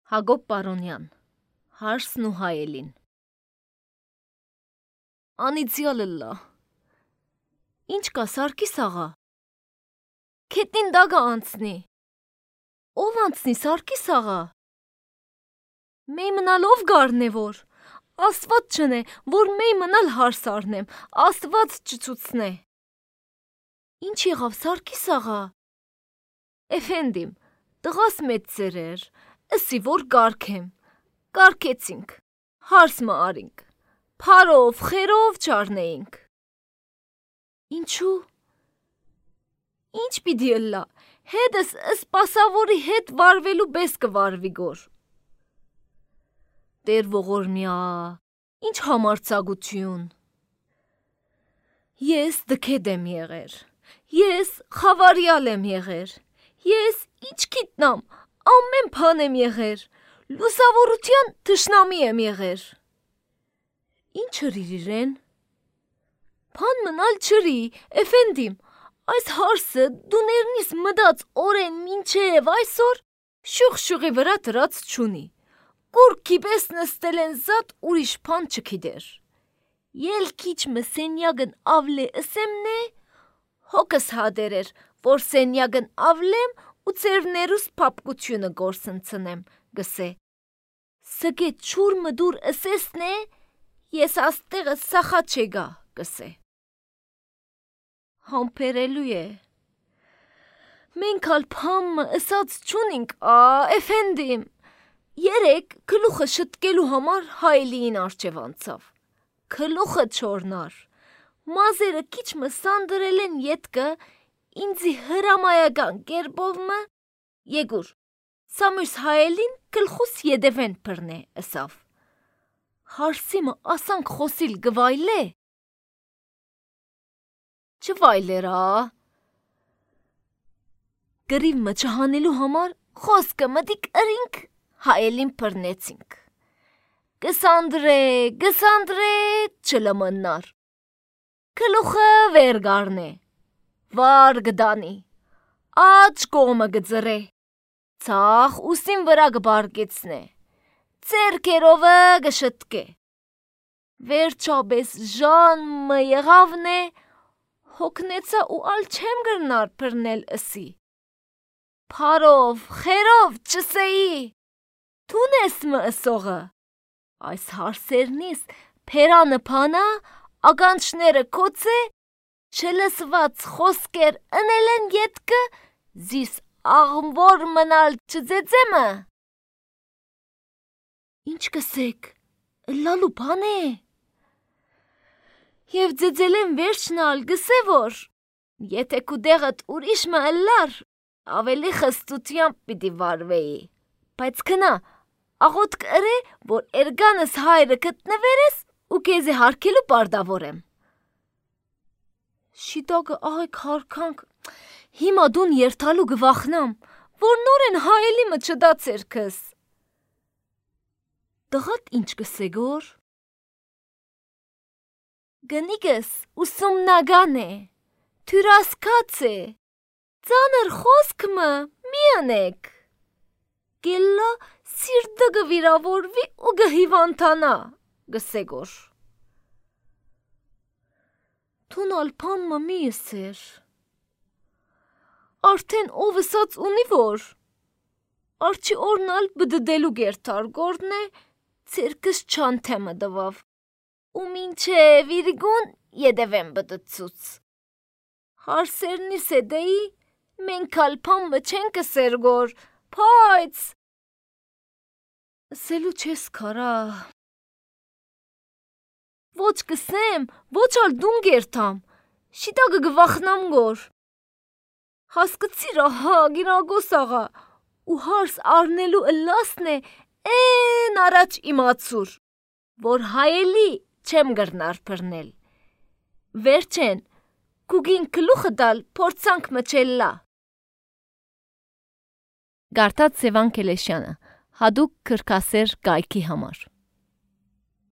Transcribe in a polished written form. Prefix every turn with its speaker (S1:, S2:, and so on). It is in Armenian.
S1: Հակոբ Պարոնյան, Հարսն ու հայելին։ Անիծյալըլլա, ինչ կա Սարգիս աղա, քետնին դագա անցնի, ով անցնի Սարգիս աղա, մեյ մնալ ով գարն է որ, աստված չնե, որ մեյ մնալ հարս արնեմ, աստված չցուցնե, ինչ եղավ Սարգիս աղա, էֆենդիմ, տղաս մեծ ծերեր, Ըսի որ գարքեմ, գարքեցինք, հարս մը արինք, փարով, խերով չարնեինք։ Ինչու։ Ինչ պիտի ըլլա, հետս սպասավորի հետ վարվելու բես կվարվի գոր։ Տեր ողորմյա, ինչ համարձակություն։ Ես դքեդ եմ եղեր, ես խավարյալ եմ եղեր, ես ինչ գիտնամ, ամեն բան եմ եղեր, լուսավորության թշնամի եմ եղեր։ Ինչ հրիր իրեն։ Բան մնալ չրի, էֆենդիմ, այս հարսը դու ներնիս մդած օրեն մինչև այսօր շուղ-շուղի վրա դրած չունի, կուրքի պես նստել են զատ ուրիշ բան չգիտեր։ Ելքիչ մը սենյագն ավլե ըսեմնե, հոգս հադերեր, որ սենյագն ավլեմ ու ծերներուս պապկությունը գործընծնեմ, գսե։ Սգե չուր մդուր ըսեսնե, ես աստեղը սախա չեգա, գսե։ Համպերելու է։ Մենք ալ պամը ըսած չունինք, էֆենդիմ, երեկ կլուխը շտկելու համար հայելիին արջև անցավ, կլուխը չորնար, մազերը քիչ մը սանդրել են ետկը, ինձի հրամայական կերպով մը, եգուր, սամույս հայելին կլխուս յեդևեն պրնե ըսավ, հարսի մը ասանք խոսիլ գվայլե, չվայլերա, գրիվ մը չհանելու համար խոսկը մտիկ ըրինք, հայելին պրնեցինք, գսանդրե, չլմնար, կլուխը վեր գարնե, վար գդանի, աջ կողմը գծրե, ցախ ուսին վրա գբարկեցնե, ձերքերովը գշտկե, վերջաբես ժան մը եղավնե, հոգնեցա ու ալ չեմ գրնար պրնել ըսի, փարով, խերով չսեի, թուն ես մը ըսողը, այս հարսերնիս պերանը պանա, ագանչները կոցե, չլսված խոսքեր ընել են ետկը, զիս աղմվոր մնալ չձեծեմը։ Ինչ կսեք, լալու բան է։ Եվ ձեծել են վերջնալ գսե որ, եթե կուդեղըտ ուրիշ մը ըլլար, ավելի խստությամբ պիտի վարվեի, բայց կնա, աղոտ կըրե, որ էրգանս հայրը կտնվերես ու կեզի հարկելու պարդավոր եմ։ Շիտակը աղեք հարկանք, հիմա դուն երթալու գվախնամ, որ նոր են հայելի մը չդա ծերքս։ Տղատ ինչ կսե գոր։ Գնիկս ուսումնագան է, թյուրասկաց է, ծանր խոսք մը մի ընեք, գելլա սիրտը գվիրավորվի ու գհիվանտանա, գսե գոր։ Թուն ալպան մը մի ըսեր, արդեն ով ըսած ունի որ, արջի օրնալ բդդելու գերտար գորդն է, ծերքս չանթեմը դվավ, ու մինչև իրգուն յեդևեն բդծուց։ Հարսերնի սեդեի, մենք ալպան մը չենք ըսեր գոր, պայց։ Սելու չես կարա։ Ոչ կսեմ, ոչ ալ դուն գերտամ, շիտագը գվախնամ գոր։ Հասկցիր ահա գիրագոս աղա, ու հարս արնելու ըլլասն է են առաջ իմացուր, որ հայելի չեմ գրնար պրնել։ Վերջեն, կուգին կլուխը դալ փորձանք մչելլա։ Գարտած Սևան Կելեշյանը, հադուկ կրկասեր գայքի համար։